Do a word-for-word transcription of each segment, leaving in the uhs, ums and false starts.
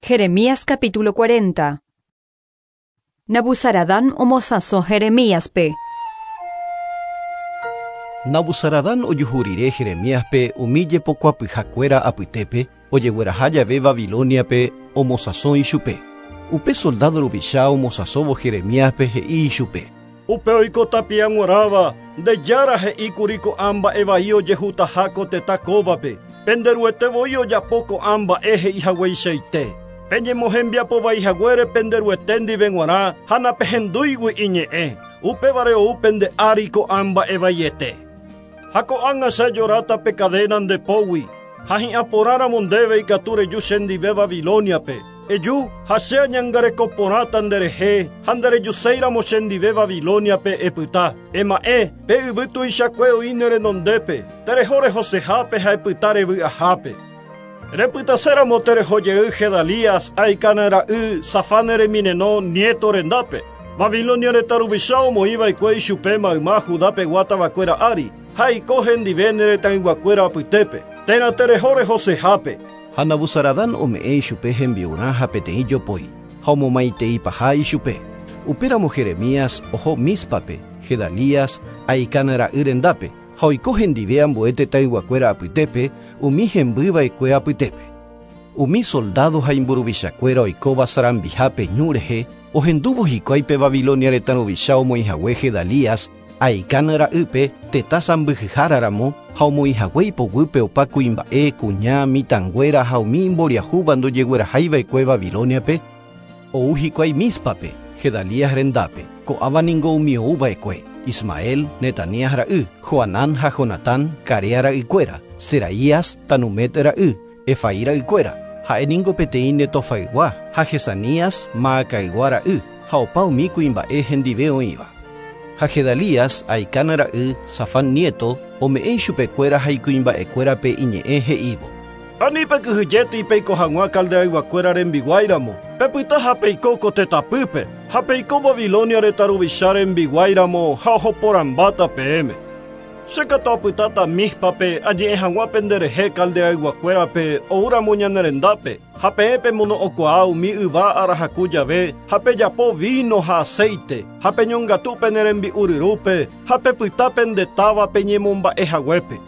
Jeremías capítulo cuarenta. Nabuzaradán omosãso Jeremíaspe. Nabuzaradán ojuhúrire Jeremíaspe umi jepokuapyhakuéra apytépe ojegueraha jave Babiloniape omosãso ichupe. Upe soldado ruvicha omosãsóvo Jeremíaspe he'i ichupe. Upe oikóta piag̃uarãva nde jára he'íkuri ko'ã mba'e vai ojehutaha ko tetã kóvape. Penderuete voi ojapo ko'ã mba'e he'ihagueichaite. Peñemohembiapovaihaguére penderuete ndive g̃uarã ha napehendúigui iñe'ẽ. Upévare ou pende ári ko'ã mba'e vaiete. Ha ko'ág̃a che ajoráta pe cadena nde pógui ha hi'ãporãramo ndéve ikatu reju chendive Babiloniape. Eju ha che añangarekoporãta nderehe ha nderejuséiramo chendive Babiloniape epyta. Ema'ẽ pe yvy tuichakue oĩ ne renondépe, tereho rehosehápe ha epyta revy'ahápe. Repytaséramo terehojey Gedalías Ahicam ra'y Safán remineno nieto rendápe. Babilonia retã ruvicha omoĩva'ekue ichupe mayma Judapegua tavakuéra ári ha oiko hendive ne retãyguakuéra apytépe. Térã tereho rehosehápe. Ha Nabuzaradán ome'ẽ ichupe hembi'urã ha peteĩ jopói ha omomaiteipaha ichupe. Upéramo Jeremías oho Míspape, Gedalías Ahicam ra'y rendápe ha oiko hendive ambue tetãyguakuéra apytépe umi hembyva'ekue apytépe. Umi soldado ha imburuvichakuéra oikóva sarambihápe ñu rehe ohendúvo hikuái pe Babilonia retã ruvicha omoĩhague Gedalías Ahicam ra'ýpe tetã sãmbyhyháraramo ha omoĩhague ipoguýpe opa kuimba'e kuña mitãnguéra ha umi imboriahúva ndojeguerahaiva'ekue Babiloniape ou hikuái Míspape Gedalías rendápe. Ko'ãva ningo umi ouva'ekue Ismael, Netanías ra'y, Johanán ha Jonatán, Carea ra'ykuéra, Seraías, Tanumet ra'y, Efai ra'ykuéra, ha'e ningo peteĩ Netofaygua ha Jesanías, Maacaygua ra'y, ha opa umi kuimba'e hendive oĩva. Ha Gedalías, Ahicam ra'y, Safán nieto, ome'ẽ ichupekuéra ha ikuimba'ekuérape iñe'ẽ he'ívo. Ani pekyhyjéti peiko hag̃ua caldeayguakuéra rembiguáiramo. Pepyta ha peiko ko tetãpýpe ha peiko Babilonia retã ruvicha rembiguáiramo ha ohoporãmbáta peẽme. Che katu apytáta Míspape añe'ẽ hag̃ua penderehe caldeayguakuérape oúramo ñane rendápe ha peẽ pemono'õkuaa umi yva arahaku jave ha pejapo vino ha aceite ha peñongatu pene rembi'uryrúpe ha pepyta pende táva peñemomba'ehaguépe.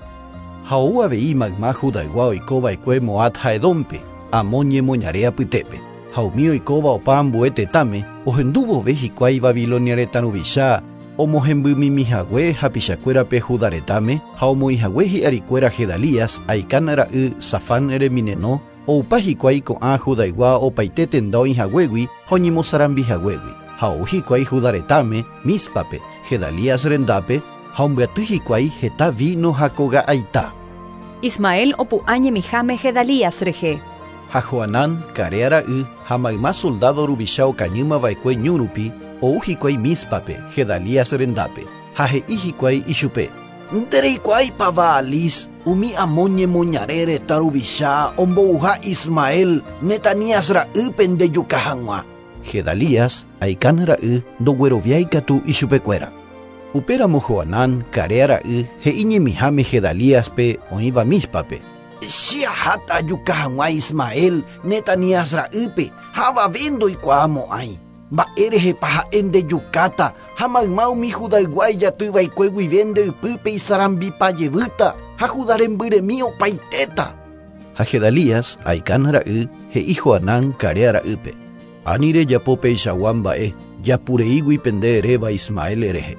Ha ou avei mayma Judaygua oikova'ekue Moab ha Edómpe, Amón ñemoñare apytépe. Ha umi oikóva opa ambue tetãme ohendúvove hikuái Babilonia retã ruvicha omohembymimihague hapichakuérape Judá retãme ha omoĩhague hi'arikuéra Gedalías Ahicam ra'y Safán remineno oupa hikuái ko'ã Judaygua opaite tenda oĩhaguégui ha oñemosarambihaguégui. Ha ou hikuái Judá retãme Míspape, Gedalías rendápe ha ombyaty hikuái heta vino ha koga'aita. Ismael opu'ã ñemiháme Gedalías rehe. Ha Johanán, Carea ra'y ha mayma soldado ruvicha okañýmava'ekue ñu rupi ou hikuái Míspape, Gedalías rendápe ha he'i hikuái ichupe. Ndereikuaáipa Baalis umi Amón ñemoñare retã ruvicha ombouha Ismael Netanías ra'ýpe ndejuka hag̃ua. Gedalías, Ahicam ra'y ndogueroviáikatu ichupekuéra. Upéramo Johanán, Carea ra'y he'i ñemiháme Gedalíaspe oĩva Míspape. Che aháta ajuka hag̃ua Ismael Netanías ra'ýpe ha avave ndoikuaamo'ãi. Mba'érehepa ha'e ndejukáta ha mayma umi Judaygua ijatyva'ekue guive nde ypýpe isarambipajevýta ha Judá rembyremi opaitéta. Ha Gedalías, Ahicam ra'y he'i Johanán, Carea ra'ýpe. Ani rejapo peichagua mba'e japureígui pende eréva Ismael rehe.